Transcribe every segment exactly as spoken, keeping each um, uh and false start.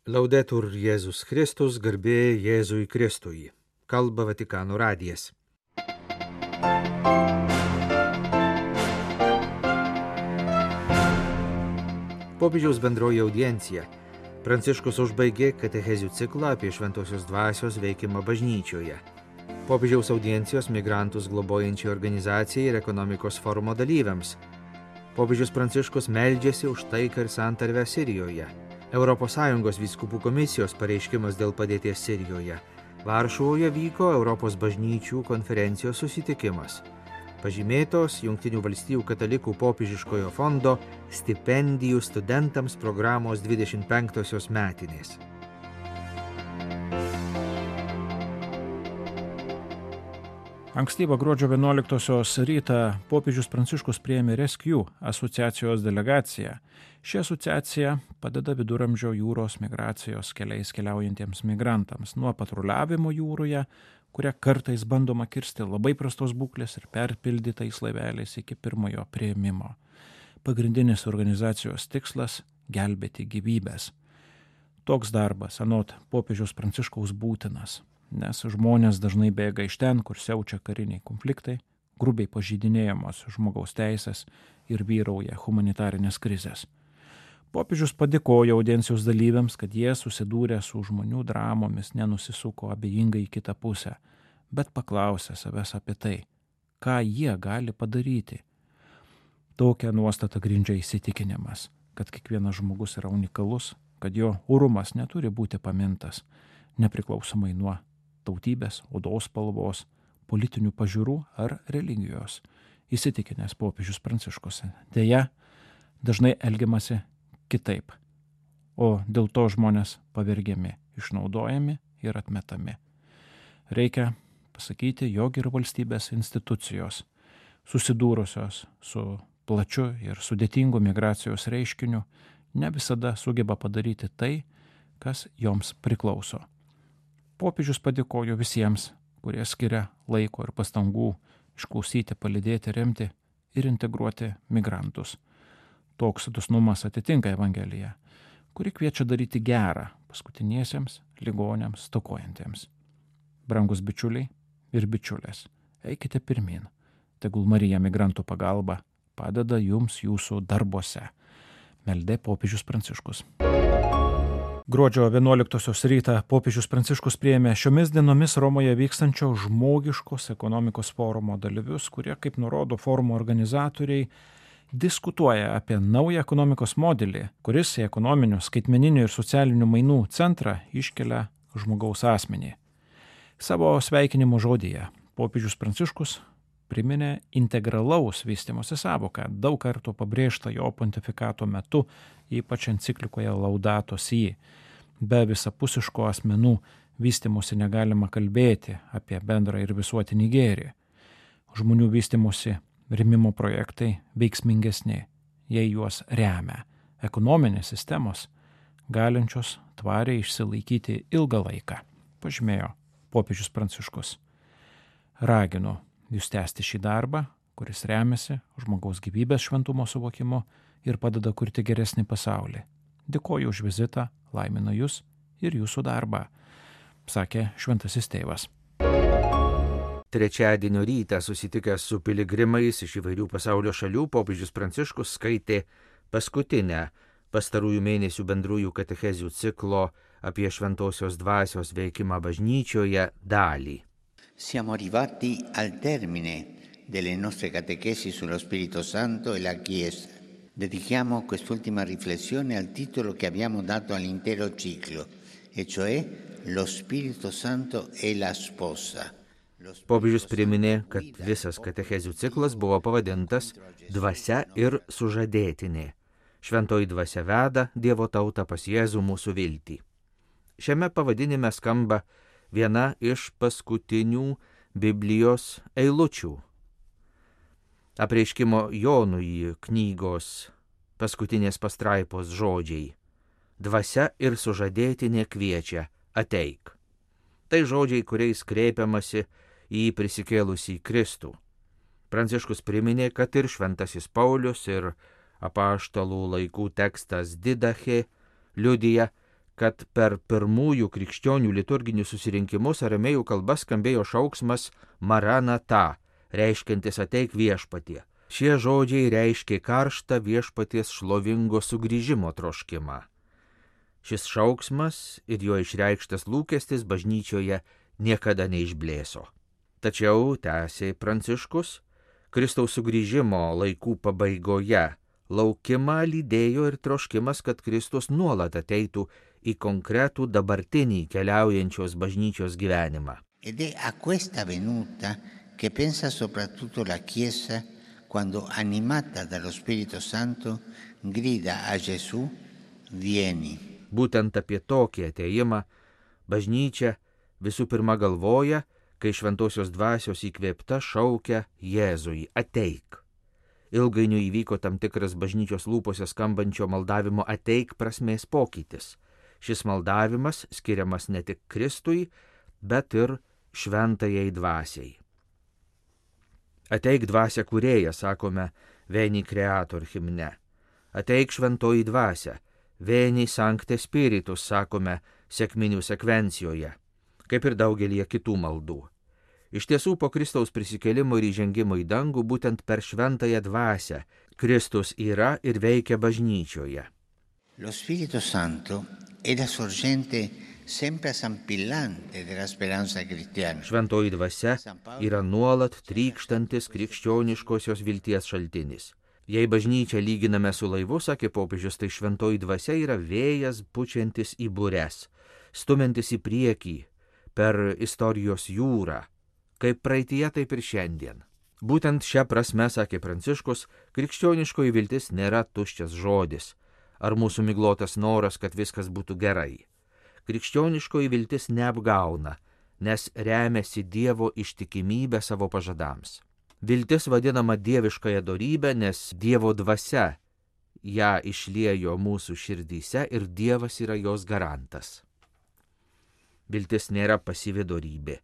Laudetur Jėzus Kristus, garbė Jėzui Kristui. Kalba Vatikano radijas. Popiežiaus bendroji audiencija. Pranciškus užbaigė katechezių ciklą apie šventosios dvasios veikimą bažnyčioje. Popiežiaus audiencijos migrantus globojančiai organizacijai ir ekonomikos forumo dalyviams. Popiežius Pranciškus meldžiasi už taiką ir santarvę Sirijoje. Europos Sąjungos vyskupų komisijos pareiškimas dėl padėties Sirijoje. Varšuvoje vyko Europos bažnyčių konferencijos susitikimas. Pažymėtos Jungtinių valstijų katalikų popiežiškojo fondo stipendijų studentams programos dvidešimt penktosios metinės. Ankstyvą gruodžio vienuoliktosios rytą popiežius Pranciškus priėmė Rescue asociacijos delegaciją. Ši asociacija padeda viduramžio jūros migracijos keliais keliaujantiems migrantams nuo patruliavimo jūroje, kurią kartais bandoma kirsti labai prastos būklės ir perpildytais laiveliais iki pirmojo priėmimo. Pagrindinis organizacijos tikslas – gelbėti gyvybės. Toks darbas, anot popiežiaus Pranciškaus, būtinas, nes žmonės dažnai bėga iš ten, kur siaučia kariniai konfliktai, grubiai pažeidinėjamos žmogaus teisės ir vyrauja humanitarinės krizės. Popiežius padėkojo audiencijos dalyviams, kad jie susidūrė su žmonių dramomis, nenusisuko abejingai į kitą pusę, bet paklausė savęs apie tai, ką jie gali padaryti. Tokią nuostatą grindžia įsitikinimas, kad kiekvienas žmogus yra unikalus, kad jo orumas neturi būti pamintas, nepriklausomai nuo tautybės, odos spalvos, politinių pažiūrų ar religijos, įsitikinęs popiežius Pranciškus. Deja, dažnai elgiamasi kitaip, o dėl to žmonės pavergiami, išnaudojami ir atmetami. Reikia pasakyti, jog ir valstybės institucijos, susidūrusios su plačiu ir sudėtingu migracijos reiškiniu, ne visada sugeba padaryti tai, kas joms priklauso. Popiežius padėkojo visiems, kurie skiria laiko ir pastangų išklausyti, palydėti, remti ir integruoti migrantus. Toks dosnumas atitinka Evangeliją, kuri kviečia daryti gerą paskutiniesiems ligoniams, stokojantiems. Brangus bičiuliai ir bičiulės, eikite pirmin. Tegul Marija migrantų pagalba padeda jums jūsų darbuose. Meldė popiežius Pranciškus. Gruodžio vienuoliktosios rytą popiežius Pranciškus priėmė šiomis dienomis Romoje vykstančio žmogiškos ekonomikos forumo dalyvius, kurie, kaip nurodo forumo organizatoriai, diskutuoja apie naują ekonomikos modelį, kuris į ekonominių, skaitmeninių ir socialinių mainų centrą iškelia žmogaus asmenį. Savo sveikinimo žodyje popiežius Pranciškus priminė integralaus vystymosi sąvoką, daug kartų pabrėžta jo pontifikato metu, ypač enciklikoje Laudato Si. Be visapusiško asmenų vystymosi negalima kalbėti apie bendrą ir visuotinį gėrį. Žmonių vystymosi rėmimo projektai veiksmingesni, jei juos remia ekonominės sistemos, galinčios tvariai išsilaikyti ilgą laiką, pažymėjo popiežius Pranciškus. Raginu jūs tęsti šį darbą, kuris remiasi žmogaus gyvybės šventumo suvokimu ir padeda kurti geresnį pasaulį. Dėkoju už vizitą, laiminu jūs ir jūsų darbą, sakė šventasis tėvas. Trečiadienio rytą susitikęs su piligrimais iš įvairių pasaulio šalių, popiežius Pranciškus skaitė paskutinę pastarųjų mėnesių bendrųjų katechezių ciklo apie šventosios dvasios veikimą bažnyčioje dalį. Siamo arrivati al termine delle nostre catechesi sullo Spirito Santo e la Chiesa. Dedichiamo quest'ultima riflessione al titolo che abbiamo dato all'intero ciclo, e cioè Lo Spirito Santo e la sposa. Popiežius priminė, kad visas katechezių ciklas buvo pavadintas Dvasia ir sužadėtinė. Šventoji dvasia veda Dievo tautą pas Jėzų mūsų viltį. Šiame pavadinime skamba viena iš paskutinių Biblijos eilučių. Apreiškimo Jonui knygos paskutinės pastraipos žodžiai. Dvasia ir sužadėtinė kviečia, ateik. Tai žodžiai, kuriais kreipiamasi į prisikėlusį Kristų. Pranciškus priminė, kad ir šventasis Paulius ir apaštalų laikų tekstas Didache liudija, kad per pirmųjų krikščionių liturginius susirinkimus aramėjų kalba skambėjo šauksmas Maranata, reiškiantis ateik viešpatie. Šie žodžiai reiškė karštą viešpaties šlovingo sugrįžimo troškimą. Šis šauksmas ir jo išreikštas lūkestis bažnyčioje niekada neišblėso. Tačiau, tęsė Pranciškus, Kristaus sugrįžimo laikų pabaigoje laukimą lydėjo ir troškimas, kad Kristus nuolat ateitų į konkretų dabartinį keliaujančios bažnyčios gyvenimą. Ed è a questa venuta che pensa soprattutto la Chiesa quando, animata dallo Spirito Santo, grida a Gesù, vieni. Būtent apie tokį ateimą bažnyčia visų pirma galvoja, kai šventosios dvasios įkvėpta šaukia Jėzui, ateik. Ilgainiui įvyko tam tikras bažnyčios lūpose skambančio maldavimo ateik prasmės pokytis. Šis maldavimas skiriamas ne tik Kristui, bet ir šventajai dvasiai. Ateik dvasia kūrėja, sakome, Veni Creator himne. Ateik šventoji dvasia, Veni Sancte Spiritus, sakome, sekminių sekvencijoje, kaip ir daugelį kitų maldų. Iš tiesų, po Kristaus prisikėlimo ir įžengimo į dangų, būtent per šventąją dvasią Kristus yra ir veikia bažnyčioje. Lo Spirito Santo è la sorgente sempre sampillante della speranza cristiana. Šventoji dvasia yra nuolat trykštantis krikščioniškosios vilties šaltinis. Jei bažnyčią lyginame su laivu, sakė popiežius, tai šventoji dvasia yra vėjas pučiantis į bures, stumiantis į priekį per istorijos jūrą, kaip praeitie, taip ir šiandien. Būtent šią prasme, sakė Pranciškus, krikščioniškoji viltis nėra tuščias žodis, ar mūsų miglotas noras, kad viskas būtų gerai. Krikščioniškoji viltis neapgauna, nes remiasi Dievo ištikimybę savo pažadams. Viltis vadinama dieviškąją dorybę, nes Dievo dvasia ją išliejo mūsų širdyse ir Dievas yra jos garantas. Viltis nėra pasyvi dorybė,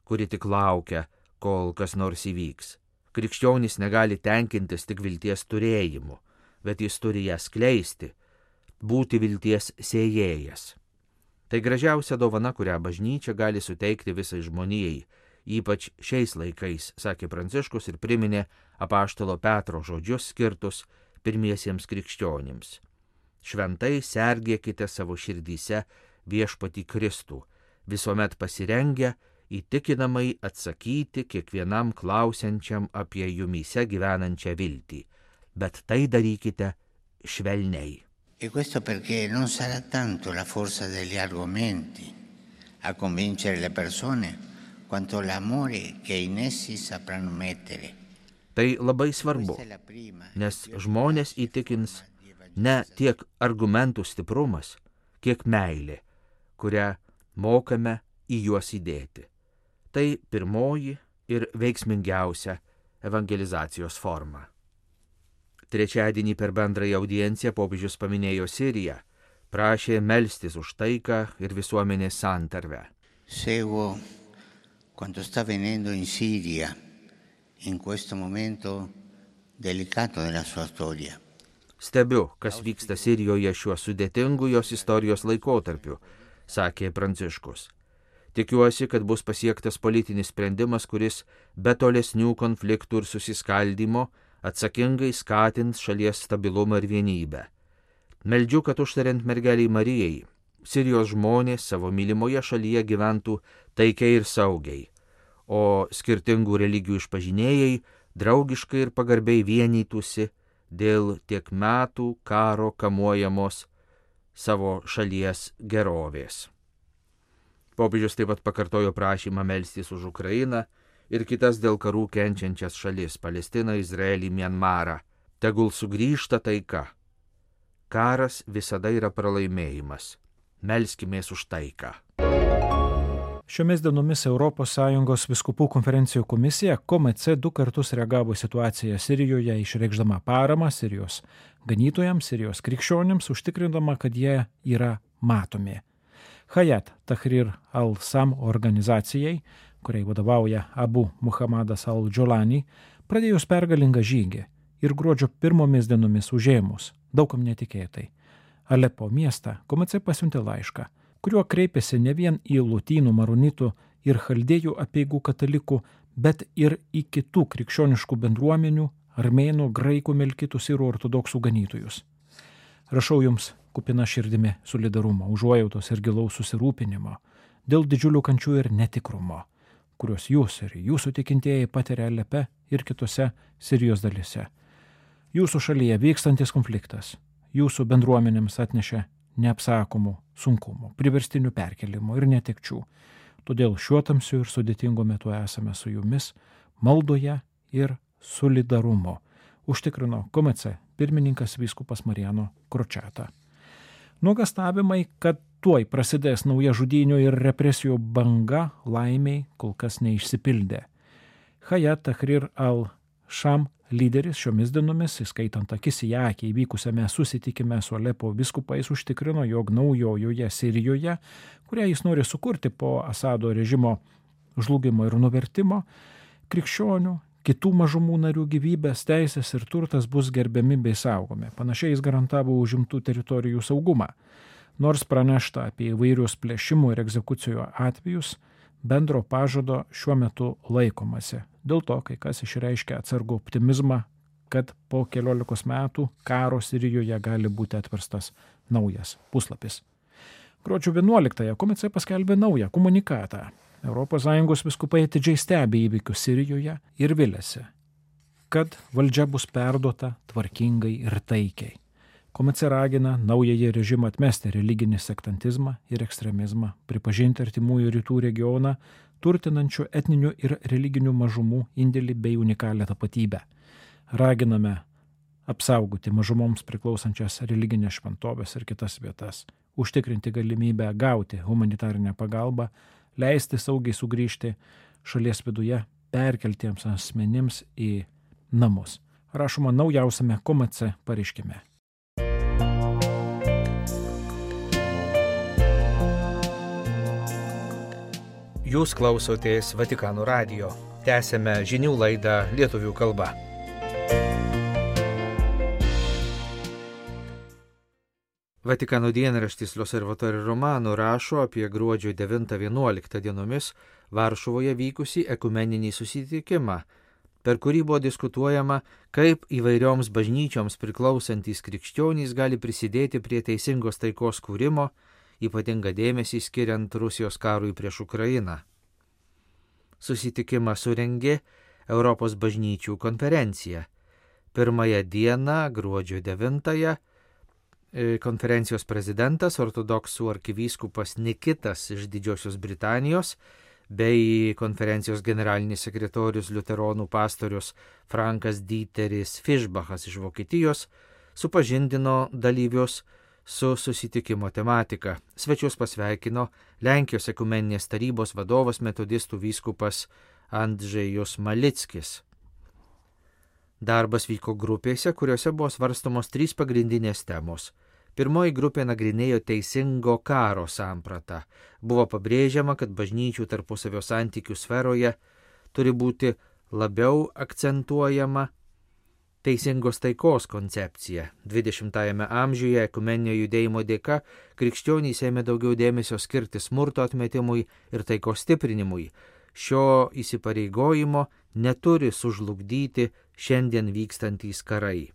kuri tik laukia, kol kas nors įvyks. Krikščionys negali tenkintis tik vilties turėjimu, bet jis turi ją skleisti, būti vilties sėjėjas. Tai gražiausia dovana, kurią bažnyčia gali suteikti visai žmonijai, ypač šiais laikais, sakė Pranciškus ir priminė apaštalo Petro žodžius skirtus pirmiesiems krikščionims. Šventai sergėkite savo širdyse viešpatį Kristų, visuomet pasirengę įtikinamai atsakyti kiekvienam klausiančiam apie jumyse gyvenančią viltį, bet tai darykite švelniai. E questo perché non sarà tanto la forza degli argomenti a convincere le persone, quanto l'amore che in essi sapranno mettere. Tai labai svarbu, nes žmonės įtikins ne tiek argumentų stiprumas, kiek meilė, kurią mokame į juos įdėti. Tai pirmoji ir veiksmingiausia evangelizacijos forma. Trečiadienį per bendrąją audienciją popiežius paminėjo Siriją, prašė melstis už taiką ir visuomenės santarvę. Seguo quanto sta avvenendo in Siria in questo momento delicato della sua storia. Stebiu, kas vyksta Sirijoje šiuo sudėtingu jos istorijos laikotarpiu, sakė Pranciškus. Tikiuosi, kad bus pasiektas politinis sprendimas, kuris be tolesnių konfliktų ir susiskaldymo atsakingai skatins šalies stabilumą ir vienybę. Meldžiu, kad užtariant mergeliai Marijai, Sirijos žmonės savo mylimoje šalyje gyventų taikiai ir saugiai, o skirtingų religijų išpažinėjai draugiškai ir pagarbiai vienytųsi dėl tiek metų karo kamuojamos savo šalies gerovės. Popiežius taip pat pakartojo prašymą melstis už Ukrainą ir kitas dėl karų kenčiančias šalis - Palestiną, Izraelį, Mianmarą. Tegul sugrįžta taika. Karas visada yra pralaimėjimas. Melskimės už taiką. Šiomis dienomis Europos Sąjungos vyskupų konferencijų komisija K M C du kartus reagavo į situaciją Sirijoje, išreikšdama paramą Sirijos ganytojams, Sirijos krikščionims, užtikrindama, kad jie yra matomi. Hayat Tahrir al-Sam organizacijai, kuriai vadovauja Abu Muhammadas al-Džolani, pradėjus pergalingą žygį ir gruodžio pirmomis dienomis užėmus, daugam netikėtai, Alepo miestą K M C pasiuntė laišką, kuriuo kreipėsi ne vien į lotynų, maronitų ir chaldėjų apeigų katalikų, bet ir į kitų krikščioniškų bendruomenių, armėnų, graikų, melkitų, sirų ortodoksų ganytojus. Rašau jums kupina širdimi solidarumo, užuojautos ir gilaus susirūpinimo dėl didžiulių kančių ir netikrumo, kuriuos jūs ir jūsų tikintieji patiria Alepe ir kitose Sirijos dalyse. Jūsų šalyje vykstantis konfliktas jūsų bendruomenėms atnešė neapsakomų sunkumų, priverstinių perkelimų ir netekčių. Todėl šiuo tamsiu ir sudėtingu metu esame su jumis maldoje ir solidarumo, užtikrino K M C pirmininkas vyskupas Marijano Kročeta. Nuogastavimai, kad tuoj prasidės nauja žudynių ir represijų banga, laimiai kol kas neišsipildė. Hayat Tahrir al-Sham lyderis šiomis dienomis, įskaitant akis į akį įvykusiame susitikime su Alepo vyskupais, užtikrino, jog naujojoje Sirijoje, kurią jis nori sukurti po Asado režimo žlugimo ir nuvertimo, krikščionių, kitų mažumų narių gyvybės, teisės ir turtas bus gerbiami bei saugomi. Panašiai jis garantavo užimtų teritorijų saugumą. Nors pranešta apie įvairius plėšimų ir egzekucijų atvejus, bendro pažado šiuo metu laikomasi. Dėl to kai kas išreiškia atsargų optimizmą, kad po keliolikos metų karo Sirijoje gali būti atverstas naujas puslapis. Gruodžio vienuoliktąją K M C paskelbė naują komunikatą. Europos Sąjungos vyskupai atidžiai stebi įvykius Sirijoje ir viliasi, kad valdžia bus perduota tvarkingai ir taikiai. K M C ragina naująjį režimą atmesti religinį sektantizmą ir ekstremizmą, pripažinti artimųjų rytų regioną, turtinančių etninių ir religinių mažumų indėlį bei unikalią tapatybę. Raginame apsaugoti mažumoms priklausančias religinės šventovės ir kitas vietas, užtikrinti galimybę gauti humanitarinę pagalbą, leisti saugiai sugrįžti šalies viduje perkeltiems asmenims į namus. Rašoma naujausiame K M C pareiškime. Jūs klausotės Vatikano radijo. Tęsėme žinių laidą lietuvių kalba. Vatikano dienraštis L'Osservatore Romano rašo apie gruodžio devintą vienuoliktą dienomis Varšuvoje vykusį ekumeninį susitikimą, per kurį buvo diskutuojama, kaip įvairioms bažnyčioms priklausantys krikščionys gali prisidėti prie teisingos taikos kūrimo, ypatingą dėmesį skiriant Rusijos karui prieš Ukrainą. Susitikimą surengė Europos bažnyčių konferencija. Pirmąją dieną, gruodžio devintąją, konferencijos prezidentas, ortodoksų arkivyskupas Nikitas iš Didžiosios Britanijos bei konferencijos generalinis sekretorius liuteronų pastorius Frankas Dieteris Fischbachas iš Vokietijos supažindino dalyvius su susitikimo tematika. Svečius pasveikino Lenkijos ekumeninės tarybos vadovas metodistų vyskupas Andžejus Malickis. Darbas vyko grupėse, kuriuose buvo svarstomos trys pagrindinės temos. Pirmoji grupė nagrinėjo teisingo karo sampratą. Buvo pabrėžiama, kad bažnyčių tarpusavio santykių sferoje turi būti labiau akcentuojama teisingos taikos koncepcija. dvidešimtajame amžiuje ekumeninio judėjimo dėka krikščionys ėmė daugiau dėmesio skirti smurto atmetimui ir taikos stiprinimui. Šio įsipareigojimo neturi sužlugdyti šiandien vykstantys karai.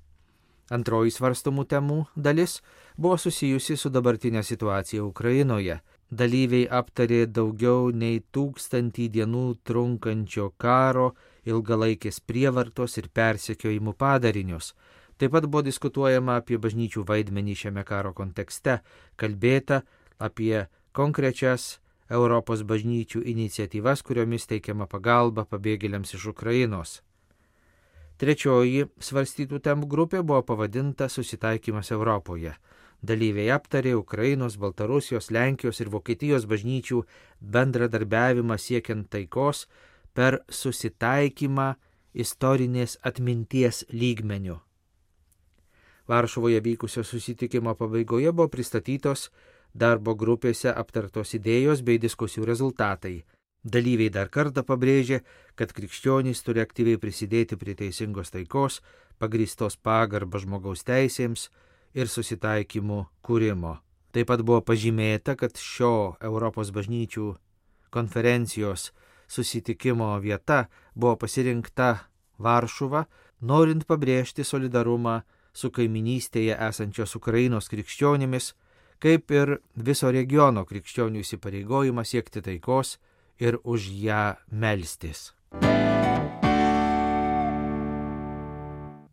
Antroji svarstomų temų dalis buvo susijusi su dabartinė situacija Ukrainoje. Dalyviai aptarė daugiau nei tūkstantį dienų trunkančio karo, ilgalaikės prievartos ir persekiojimų padarinius. Taip pat buvo diskutuojama apie bažnyčių vaidmenį šiame karo kontekste, kalbėta apie konkrečias Europos bažnyčių iniciatyvas, kuriomis teikiama pagalba pabėgėliams iš Ukrainos. Trečioji svarstytų temų grupė buvo pavadinta Susitaikymas Europoje. Dalyviai aptarė Ukrainos, Baltarusijos, Lenkijos ir Vokietijos bažnyčių bendradarbiavimą siekiant taikos per susitaikymą istorinės atminties lygmeniu. Varšuvoje vykusio susitikimo pabaigoje buvo pristatytos darbo grupėse aptartos idėjos bei diskusijų rezultatai. Dalyviai dar kartą pabrėžė, kad krikščionys turi aktyviai prisidėti prie teisingos taikos, pagrįstos pagarba žmogaus teisėms ir susitaikymų kūrimo. Taip pat buvo pažymėta, kad šio Europos bažnyčių konferencijos susitikimo vieta buvo pasirinkta Varšuva, norint pabrėžti solidarumą su kaiminystėje esančios Ukrainos krikščionimis, kaip ir viso regiono krikščionių įsipareigojimą siekti taikos ir už ją melstis.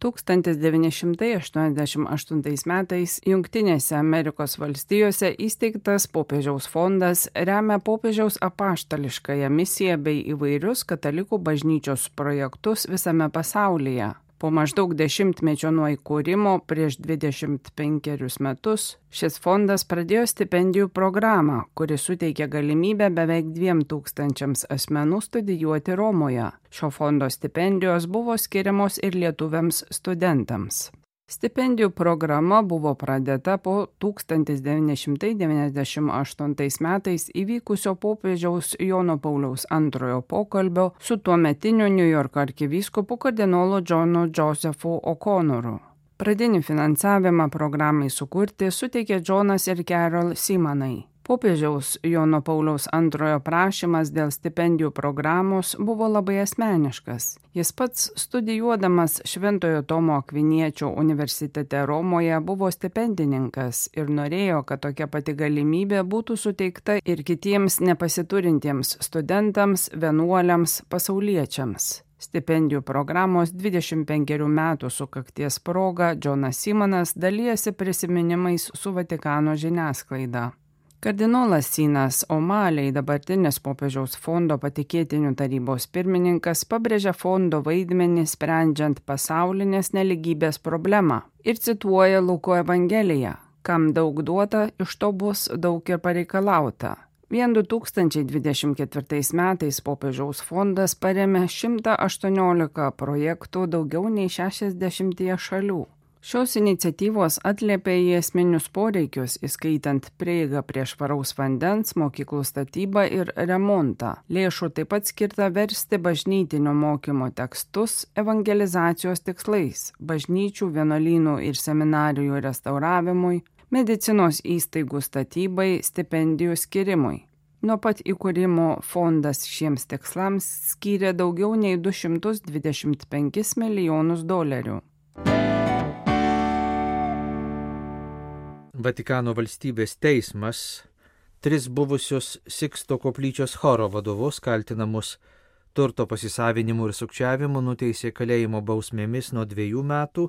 tūkstantis devyni šimtai aštuoniasdešimt aštuntais metais Jungtinėse Amerikos valstijose įsteigtas popiežiaus fondas remia popiežiaus apaštališkąją misiją bei įvairius katalikų bažnyčios projektus visame pasaulyje. Po maždaug dešimtmečio nuo įkūrimo prieš dvidešimt penkerius metus šis fondas pradėjo stipendijų programą, kuri suteikė galimybę beveik dviem tūkstančiams asmenų studijuoti Romoje. Šio fondo stipendijos buvo skiriamos ir lietuviams studentams. Stipendijų programa buvo pradėta po tūkstantis devyni šimtai devyniasdešimt aštuntais metais įvykusio popiežiaus Jono Pauliaus antrojo pokalbio su tuometiniu Niujorko arkivyskupu kardinolu Johnu Josephu O'Connoru. Pradinį finansavimą programai sukurti suteikė Johnas ir Carol Simonai. Popiežiaus Jono Pauliaus antrojo prašymas dėl stipendijų programos buvo labai asmeniškas. Jis pats studijuodamas Šventojo Tomo Akviniečio universitete Romoje buvo stipendininkas ir norėjo, kad tokia pati galimybė būtų suteikta ir kitiems nepasiturintiems studentams, vienuoliams, pasauliečiams. Stipendijų programos dvidešimt penkerių metų sukakties proga Johnas Simonas dalijasi prisiminimais su Vatikano žiniasklaida. Kardinolas Sinas O'Malley, dabartinis popiežiaus fondo patikėtinių tarybos pirmininkas, pabrėžia fondo vaidmenį sprendžiant pasaulinės neligybės problemą ir cituoja Luko Evangeliją: kam daug duota, iš to bus daug ir pareikalauta. Vien du tūkstančiai dvidešimt ketvirtais metais popiežiaus fondas parėmė šimtą aštuoniolika projektų daugiau nei šešiasdešimtyje šalių. Šios iniciatyvos atliepia į esminius poreikius, įskaitant prieigą prie švaraus vandens, mokyklų statybą ir remontą. Lėšų taip pat skirta versti bažnytinio mokymo tekstus evangelizacijos tikslais, bažnyčių, vienuolynų ir seminarijų restauravimui, medicinos įstaigų statybai, stipendijų skirimui. Nuo pat įkūrimo fondas šiems tikslams skyrė daugiau nei du šimtus dvidešimt penkis milijonus dolerių. Vatikano valstybės teismas tris buvusius Siksto koplyčios choro vadovus kaltinamus turto pasisavinimu ir sukčiavimu nuteisė kalėjimo bausmėmis nuo dviejų metų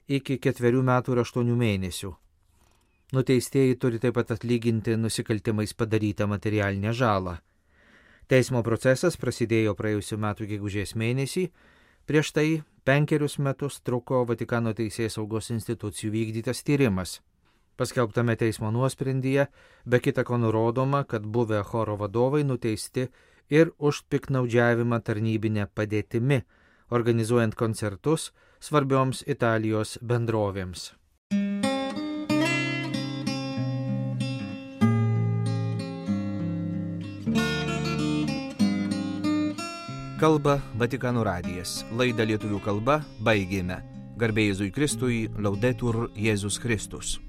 iki ketverių metų ir aštuonių mėnesių. Nuteistieji turi taip pat atlyginti nusikaltimais padarytą materialinę žalą. Teismo procesas prasidėjo praėjusių metų gegužės mėnesį, prieš tai penkerius metus truko Vatikano teisėsaugos institucijų vykdytas tyrimas. Paskelbtame teismo nuosprendyje be kita ko nurodoma, kad buvę choro vadovai nuteisti ir už piktnaudžiavimą tarnybinę padėtimi, organizuojant koncertus svarbioms Italijos bendrovėms. Kalba Vatikano radijas. Laidą lietuvių kalba baigėme. Garbė Jėzui Kristui, Laudetur Jėzus Kristus.